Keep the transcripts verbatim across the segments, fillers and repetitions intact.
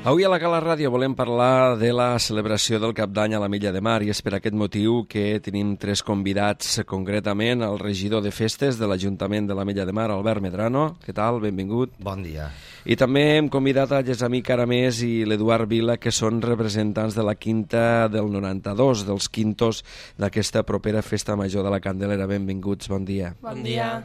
Avui a la Cala Ràdio volem parlar de la celebració del Cap d'Any a la Milla de Mar i és per aquest motiu que tenim tres convidats, concretament el regidor de festes de l'Ajuntament de la Milla de Mar, Albert Medrano. Què tal? Benvingut. Bon dia. I també hem convidat a Gessamí Caramés i l'Eduard Vila, que són representants de la Quinta del noranta-dos, dels quintos d'aquesta propera Festa Major de la Candelera. Benvinguts, bon dia. Bon dia.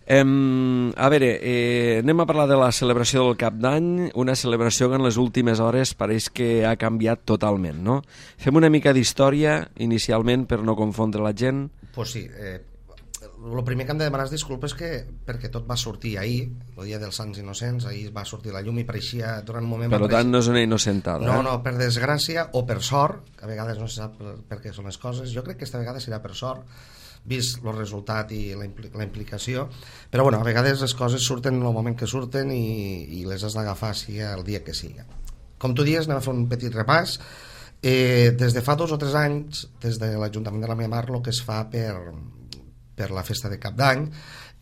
Um, a veure, eh, anem a parlar de la celebració del Cap d'Any, una celebració que en les últimes hores pareix que ha canviat totalment, no? Fem una mica d'història inicialment per no confondre la gent. Pues sí, eh, el primer que hem de demanar és disculpes que, perquè tot va sortir ahir, el dia dels Sants Innocents, ahir va sortir la llum i pareixia durant un moment... Per tant, no és una innocentada. No, eh? no, per desgràcia o per sort, que a vegades no se sap per, per què són les coses, jo crec que aquesta vegada serà per sort, vist el resultat i la, impli la implicació, però bueno, a vegades les coses surten en el moment que surten i, i les has d'agafar sigui el dia que sigui. Com tu dius, anem a fer un petit repàs. Eh, des de fa dos o tres anys, des de l'Ajuntament de la Milla de Mar, el que es fa per, per la festa de Cap d'Any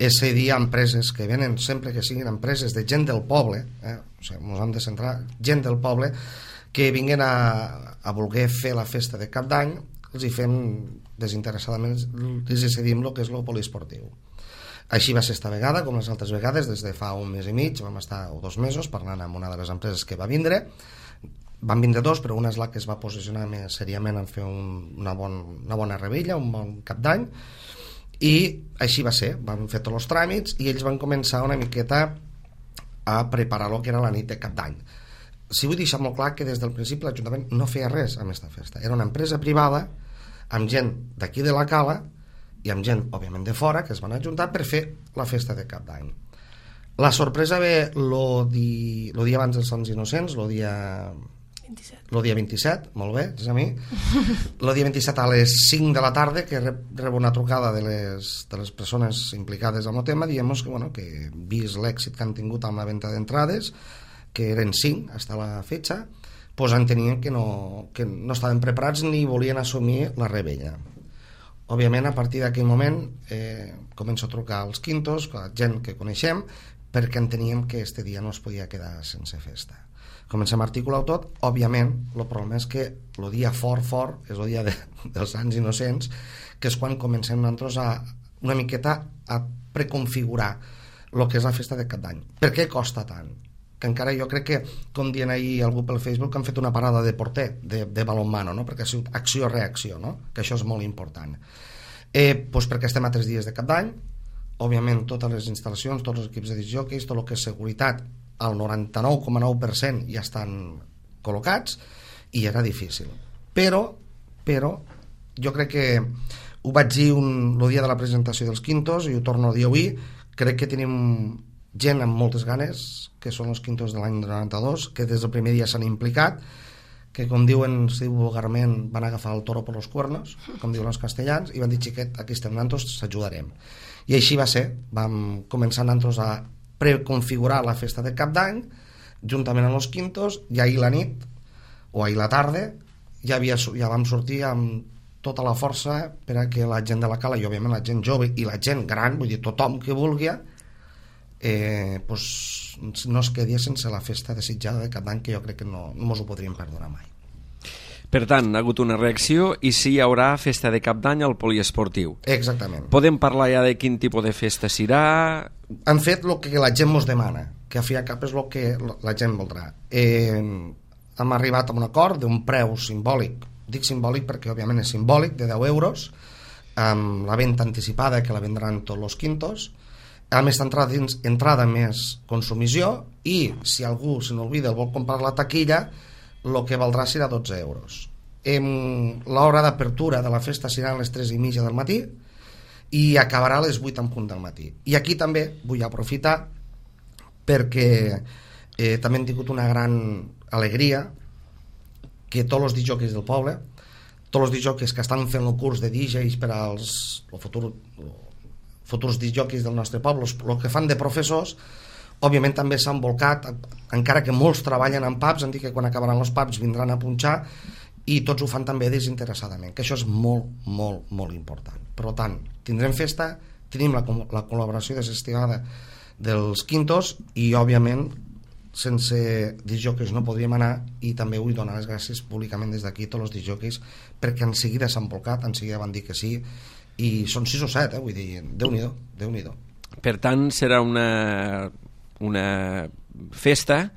és cedir a empreses que venen, sempre que siguin empreses de gent del poble, eh? O sigui, ens hem de centrar, gent del poble que vinguin a, a voler fer la festa de Cap d'Any, els hi fem desinteressadament, els hi cedim el que és el poliesportiu. Així va ser esta vegada, com les altres vegades, des de fa un mes i mig, vam estar o dos mesos parlant amb una de les empreses que va vindre. Van vindre dos, però una és la que es va posicionar més seriament en fer un, una, bon, una bona rebella, un bon Cap d'Any, i així va ser. Van fer tots els tràmits i ells van començar una miqueta a preparar el que era la nit de Cap d'Any. Si vull deixar molt clar que des del principi l'Ajuntament no feia res amb aquesta festa. Era una empresa privada amb gent d'aquí de la Cala i amb gent, òbviament, de fora, que es van ajuntar per fer la festa de Cap d'Any. La sorpresa ve el di... dia abans dels Sants Innocents, el dia... vint-i-set. El dia vint-i-set, molt bé, és a mi. El dia vint-i-set a les cinc de la tarda, que rebo una trucada de les, de les persones implicades en el tema, dient que, bueno, que vist l'èxit que han tingut amb la venda d'entrades, que eren cinc fins a la fetxa, pues entenien que no, que no estaven preparats ni volien assumir la rebella. Òbviament, a partir d'aquell moment eh, començo a trucar als quintos, a la gent que coneixem, perquè enteníem que este dia no es podia quedar sense festa. Comencem a articular tot. Òbviament, el problema és que el dia fort, fort, és el dia de, dels Sants Innocents, que és quan comencem nosaltres a una miqueta a preconfigurar el que és la festa de Cap d'Any. Per què costa tant? Que encara jo crec que, com dient ahir algú pel Facebook, han fet una parada de porter, de, de balonmano, no? Perquè ha sigut acció-reacció, no? Que això és molt important. Eh, doncs perquè estem a tres dies de Cap d'Any, òbviament totes les instal·lacions, tots els equips de discjòqueis, tot el que és seguretat, al noranta-nou coma nou per cent ja estan col·locats i era difícil. Però, però, jo crec que ho vaig dir un, el dia de la presentació dels quintos i ho torno a dir avui, crec que tenim gent amb moltes ganes, que són els quintos de l'any noranta-dos, que des del primer dia s'han implicat, que com diuen, si diu vulgarment, van agafar el toro per los cuernos, com diuen els castellans, i van dir, xiquet, aquí estem nosaltres, s'ajudarem. I així va ser. Vam començar nosaltres a preconfigurar la festa de Cap d'Any, juntament amb els quintos, i ahir la nit, o ahir la tarda, ja, havia, ja vam sortir amb tota la força per a que la gent de la Cala, i òbviament la gent jove i la gent gran, vull dir, tothom que vulgui, Eh, pues, no es quedi sense la festa desitjada de Cap d'Any, que jo crec que no, no ens ho podríem perdonar mai. Per tant, ha hagut una reacció i sí hi haurà festa de Cap d'Any al poliesportiu. Exactament. Podem parlar ja de quin tipus de festa serà? Han fet el que la gent ens demana, que a fi i a cap és el que la gent voldrà. Eh, hem arribat a un acord d'un preu simbòlic, dic simbòlic perquè òbviament és simbòlic, de deu euros, amb la venda anticipada que la vendran tots els quintos, a més entrada, entrada més consumició, i si algú se n'olvida el vol comprar la taquilla, el que valdrà serà dotze euros. L'hora d'apertura de la festa serà a les tres i mitja del matí i acabarà a les vuit en punt del matí. I aquí també vull aprofitar perquè eh, també hem tingut una gran alegria que tots els discjòqueis del poble, tots els discjòqueis que estan fent el curs de D Js per als el futur futurs discjòqueis del nostre poble, el que fan de professors, òbviament també s'han volcat, encara que molts treballen en pubs, han dit que quan acabaran els pubs vindran a punxar, i tots ho fan també desinteressadament, que això és molt, molt, molt important. Per tant, tindrem festa, tenim la, la col·laboració desestimada dels quintos i, òbviament, sense disjòqueis no podríem anar, i també vull donar les gràcies públicament des d'aquí a tots els disjòqueis perquè en seguida s'han volcat, en seguida van dir que sí, i són sis o set, eh? Vull dir, Déu-n'hi-do, Déu-n'hi-do. Per tant, serà una, una festa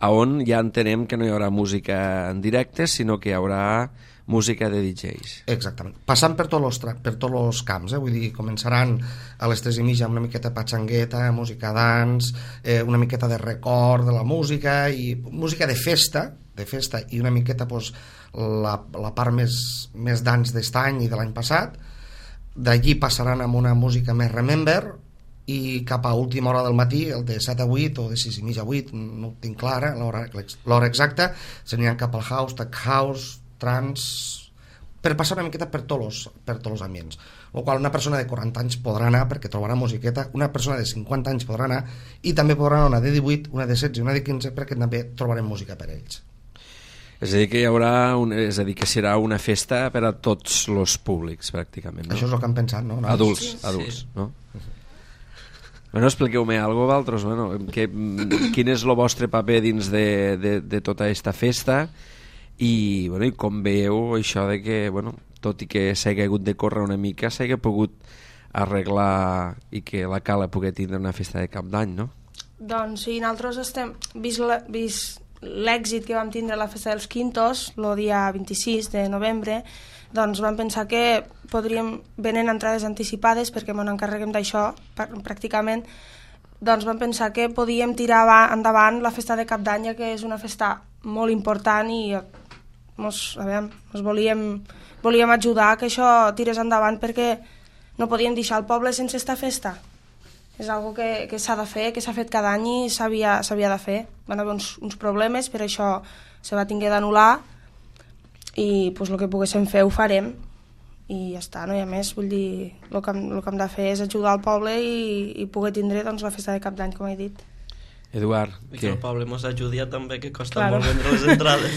on ja entenem que no hi haurà música en directe, sinó que hi haurà música de D Js. Exactament. Passant per tots els, per tots els camps, eh? Vull dir, començaran a les tres i mitja amb una miqueta de patxangueta, música dans, eh, una miqueta de record de la música, i música de festa, de festa i una miqueta pues, la, la part més, més dans d'est any i de l'any passat. D'allí passaran amb una música més remember, i cap a última hora del matí, el de set a vuit o de sis i mitja a vuit, no ho tinc clara l'hora exacta, s'aniran cap al house, tech house, trans, per passar una miqueta per tots els, per tots els ambients, el qual una persona de quaranta anys podrà anar perquè trobarà musiqueta, una persona de cinquanta anys podrà anar, i també podrà anar una de divuit, una de setze i una de quinze, perquè també trobarem música per ells. És a dir, que hi haurà un, és a dir, que serà una festa per a tots els públics, pràcticament, no? Això és el que han pensat, no? Adults, sí, adults, sí. no? Bueno, expliqueu-me alguna cosa, vosaltres, bueno, que, quin és el vostre paper dins de, de, de tota aquesta festa, i, bueno, i com veieu això de que, bueno, tot i que s'hagi hagut de córrer una mica, s'hagi pogut arreglar i que la Cala pugui tindre una festa de cap d'any, no? Doncs sí, nosaltres estem, vist, la, vist l'èxit que vam tindre a la festa dels Quintos, el dia vint-i-sis de novembre, doncs vam pensar que podríem, venent entrades anticipades, perquè ens encarreguem d'això pràcticament, doncs vam pensar que podíem tirar endavant la festa de Cap d'Any, que és una festa molt important, i mos, a veure, mos volíem, volíem ajudar que això tirés endavant, perquè no podíem deixar el poble sense esta festa. És algo que, que s'ha de fer, que s'ha fet cada any i s'havia de fer. Van haver uns, uns problemes, per això se va tinguer d'anul·lar, i pues, el que poguéssim fer ho farem, i ja està, no hi ha més. Vull dir, el que, el que hem de fer és ajudar el poble i, i poder tindre doncs, la festa de Cap d'Any, com he dit. Eduard, I que el poble mos ajudi també, que costa Claro. molt vendre les entrades.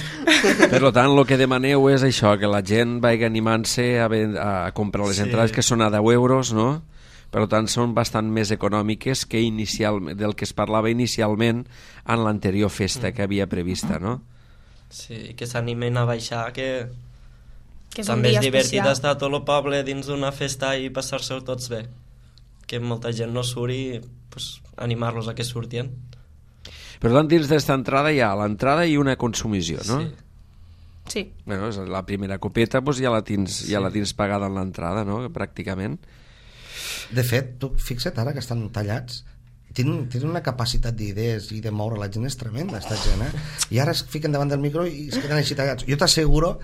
per tant, el que demaneu és això, que la gent vagi animant-se a, ven- a comprar les Sí. entrades, que són a deu euros, no? Per tant, són bastant més econòmiques que inicial, del que es parlava inicialment en l'anterior festa que havia prevista, no? Sí, que s'animen a baixar, que, Que és un també dia és divertit especial. estar tot el poble dins d'una festa i passar-se-ho tots bé. Que molta gent no surt i pues, animar-los a que surtien. Per tant, dins d'esta entrada hi ha l'entrada i una consumició, no? Sí. Sí. Bueno, és la primera copeta doncs ja la tens, Sí. ja la tens pagada en l'entrada, no? Pràcticament. De fet, tu fixa't ara que estan tallats, tenen, tenen una capacitat d'idees i de moure la gent és tremenda, esta gent, eh? I ara es fiquen davant del micro i es queden així tallats. Jo t'asseguro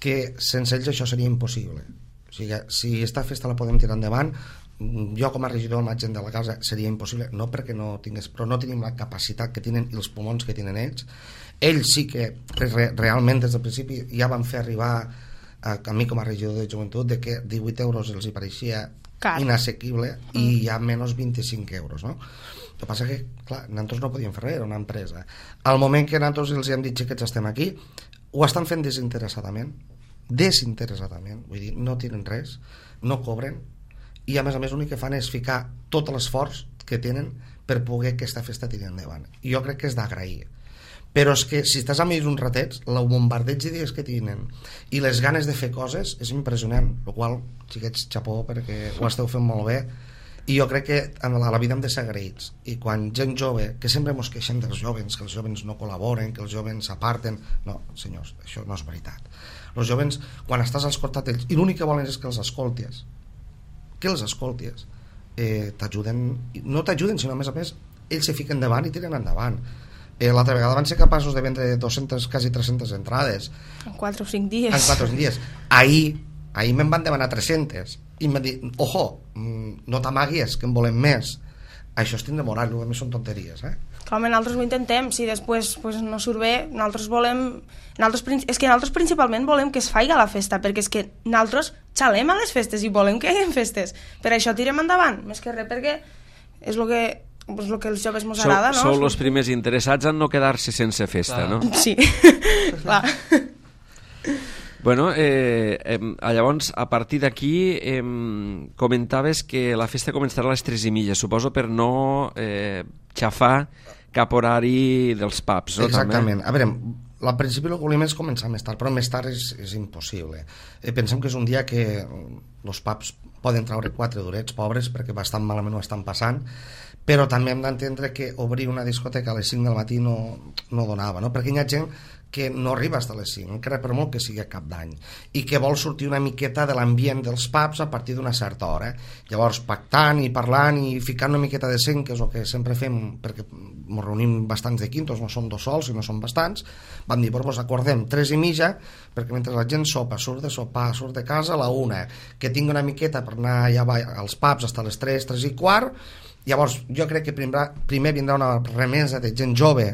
que sense ells això seria impossible. O sigui, si esta festa la podem tirar endavant, jo com a regidor amb la gent de la casa seria impossible, no perquè no tingués, però no tenim la capacitat que tenen i els pulmons que tenen ells. Ells sí que re, realment des del principi ja van fer arribar a, a mi com a regidor de joventut de que divuit euros els hi pareixia Car. inassequible i ja menys vint-i-cinc euros, no? El que passa que, clar, nosaltres no podíem fer res, era una empresa. Al moment que nosaltres els hem dit que estem aquí, ho estan fent desinteressadament, desinteressadament, vull dir, no tenen res, no cobren, i a més a més l'únic que fan és ficar tot l'esforç que tenen per poder que aquesta festa tiri endavant. I jo crec que és d'agrair. Però és que si estàs amb ells uns ratets, el bombardeig d'idees que tenen i les ganes de fer coses és impressionant, el qual, xiquets, xapó, perquè ho esteu fent molt bé, i jo crec que a la vida hem de ser agraïts, i quan gent jove, que sempre ens queixem dels jovens, que els jovens no col·laboren, que els jovens s'aparten, no, senyors, això no és veritat. Els jovens, quan estàs al costat d'ells, i l'únic que volen és que els escoltis, que els escoltis, eh, t'ajuden, no t'ajuden, sinó a més a més, ells se fiquen davant i tiren endavant. Eh, l'altra vegada van ser capaços de vendre dues-centes, quasi tres-centes entrades En quatre o cinc dies. en quatre o cinc dies. Ahir, ahir me'n van demanar tres-centes i em van dir, ojo, no t'amaguis que en volem més. Això és tindre moral, a més són tonteries, eh? Clar, nosaltres ho intentem, si després pues, no surt bé, nosaltres volem... Nosaltres, és que nosaltres principalment volem que es faci la festa, perquè és que nosaltres xalem a les festes i volem que hi hagi festes. Per això tirem endavant, més que res, perquè és el que, és el que els joves ens agrada, no? Sou els primers interessats en no quedar-se sense festa, Clar. no? Sí, clar. Bueno, eh, eh, llavors, a partir d'aquí, eh, comentaves que la festa començarà a les tres i mitja, suposo per no eh, xafar cap horari dels pubs, no? Exactament. També? A veure, al principi el que volíem és començar més tard, però més tard és, és impossible. Eh, pensem que és un dia que els pubs poden treure quatre durets, pobres, perquè bastant malament ho estan passant, però també hem d'entendre que obrir una discoteca a les cinc del matí no, no donava, no? Perquè hi ha gent que no arriba fins a les cinc, encara per molt que sigui a cap d'any, i que vol sortir una miqueta de l'ambient dels pubs a partir d'una certa hora. Llavors, pactant i parlant i ficant una miqueta de seny, que és el que sempre fem, perquè ens reunim bastants de quintos, no som dos sols, sinó som bastants, vam dir, doncs acordem tres i mitja, perquè mentre la gent sopa, surt de sopar, surt de casa a la una, que tingui una miqueta per anar allà als pubs fins a les tres, tres i quart. Llavors jo crec que primer, primer vindrà una remesa de gent jove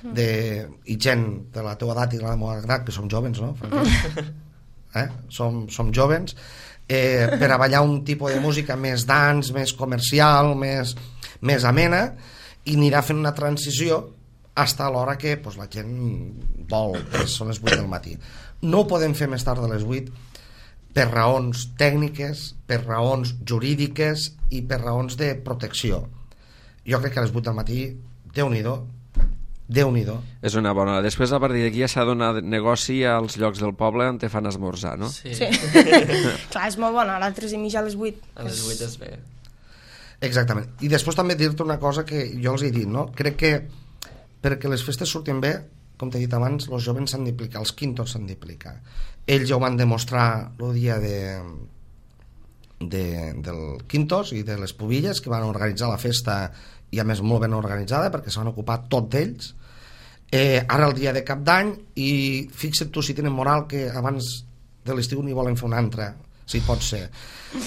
de, i gent de la teva edat i la meva edat, que som jovens, no? Eh? Som, som jovens, eh, per a ballar un tipus de música més dance, més comercial, més, més amena, i anirà fent una transició fins a l'hora que pues, la gent vol, que són les vuit del matí. No ho podem fer més tard de les vuit per raons tècniques, per raons jurídiques i per raons de protecció. Jo crec que a les vuit del matí, Déu-n'hi-do, Déu-n'hi-do. És una bona. Després, a partir d'aquí, ja s'ha donat negoci als llocs del poble on te fan esmorzar, no? Sí. Sí. Clar, és molt bona, a les tres i mitja a les vuit. A les vuit és bé. Exactament. I després també dir-te una cosa que jo els he dit, no? Crec que perquè les festes surtin bé, com t'he dit abans, els jovens s'han d'implicar, els quintos s'han d'implicar. Ells ja ho van demostrar el dia de, de, del Quintos i de les Pubilles, que van organitzar la festa, i a més molt ben organitzada, perquè se van ocupar tot d'ells. Eh, ara el dia de Cap d'Any, i fixa't tu si tenen moral que abans de l'estiu n'hi volen fer una altra, si pot ser.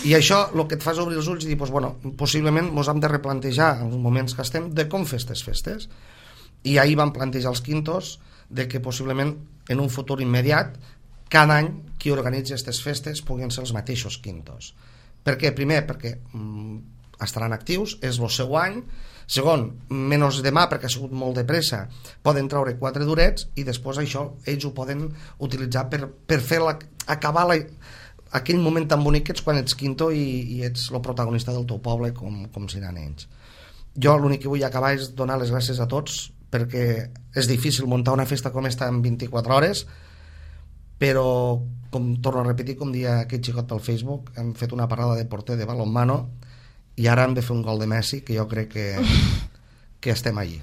I això el que et fa és obrir els ulls i dir, pues, bueno, possiblement ens hem de replantejar en els moments que estem de com fer aquestes festes. I ahir van plantejar els quintos de que possiblement en un futur immediat cada any qui organitza aquestes festes puguin ser els mateixos quintos. Per què? Primer, perquè mm, estaran actius, és el seu any. Segon, menys demà, perquè ha sigut molt de pressa, poden treure quatre durets i després això ells ho poden utilitzar per, per fer la, acabar la, aquell moment tan bonic que ets quan ets quinto i, i ets el protagonista del teu poble com, com seran ells. Jo l'únic que vull acabar és donar les gràcies a tots, perquè és difícil muntar una festa com esta en vint-i-quatre hores, però, com torno a repetir, com dia aquest xicot pel Facebook, hem fet una parada de porter de balonmano i ara hem de fer un gol de Messi, que jo crec que, que estem allí.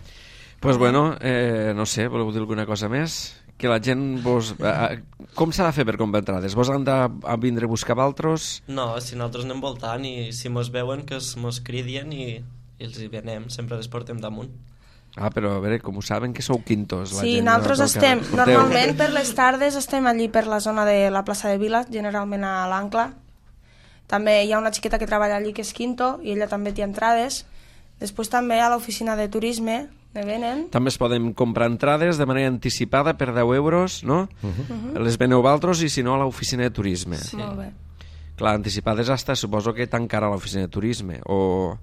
Pues bueno, eh, no sé, voleu dir alguna cosa més? Que la gent vos... Eh, com s'ha de fer per comprar entrades? Vos han de a vindre a buscar altres? No, si nosaltres anem voltant i si mos veuen que mos cridien i, i els hi venem, sempre les portem damunt. Ah, però a veure, com ho saben que sou quintos? La Sí, gent nosaltres estem, Porteu. normalment per les tardes estem allí per la zona de la plaça de Vila, generalment a l'Ancla. També hi ha una xiqueta que treballa allí que és quinto i ella també té entrades. Després també a l'oficina de turisme ne venen. També es poden comprar entrades de manera anticipada per deu euros, no? Uh -huh. Uh -huh. Les veneu vosaltres i si no a l'oficina de turisme. Sí. Molt bé. Clar, anticipades hasta, suposo que tancarà l'oficina de turisme, o...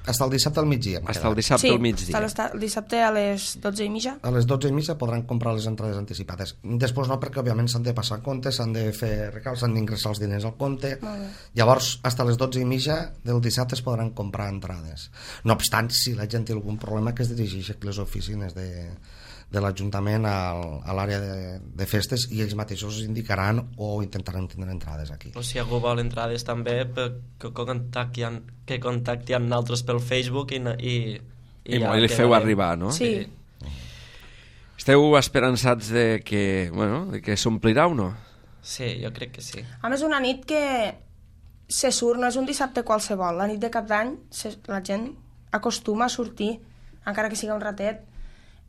Hasta el dissabte al migdia. Hasta el dissabte sí, al migdia. hasta el dissabte a les dotze i mitja. A les dotze i mitja podran comprar les entrades anticipades. Després no, perquè òbviament s'han de passar comptes, s'han de fer recals, s'han d'ingressar els diners al compte. Llavors, fins a les dotze i mitja del dissabte es podran comprar entrades. No obstant, si la gent té algun problema, que es dirigeix a les oficines de, de l'Ajuntament a, a l'àrea de, de festes i ells mateixos indicaran o intentaran tindre entrades aquí. O si algú vol entrades també, que contacti amb, que contacti amb nosaltres pel Facebook i, i, i, i ja li feu arribar, no? Sí. sí. Esteu esperançats de que, bueno, de que s'omplirà o no? Sí, jo crec que sí. A més, una nit que se surt, no és un dissabte qualsevol. La nit de Cap d'Any la gent acostuma a sortir, encara que siga un ratet,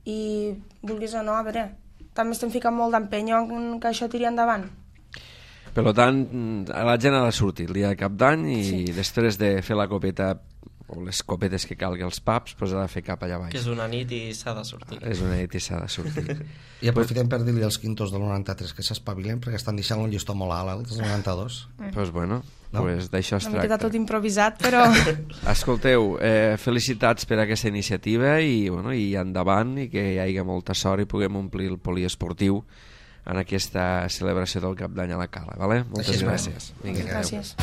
i vulguis o no, a veure, també estem ficant molt d'empenyo en que això tiri endavant. Per tant, la gent ha de sortir el dia de Cap d'Any i sí. després de fer la copeta o les copetes que calgui als pubs, pues ha de fer cap allà baix. Que és una nit i s'ha de sortir. És una nit i s'ha de sortir. I aprofitem per dir-li als quintos del noranta-tres que s'espavilen, perquè estan deixant un llistó molt alt, els noranta-dos. Doncs pues bueno, no? pues d'això es tracta. Hem quedat tot improvisat, però... Escolteu, eh, felicitats per aquesta iniciativa i, bueno, i endavant, i que hi hagi molta sort i puguem omplir el poliesportiu en aquesta celebració del Cap d'Any a la Cala, vale? Moltes Així gràcies. Vinga, gràcies.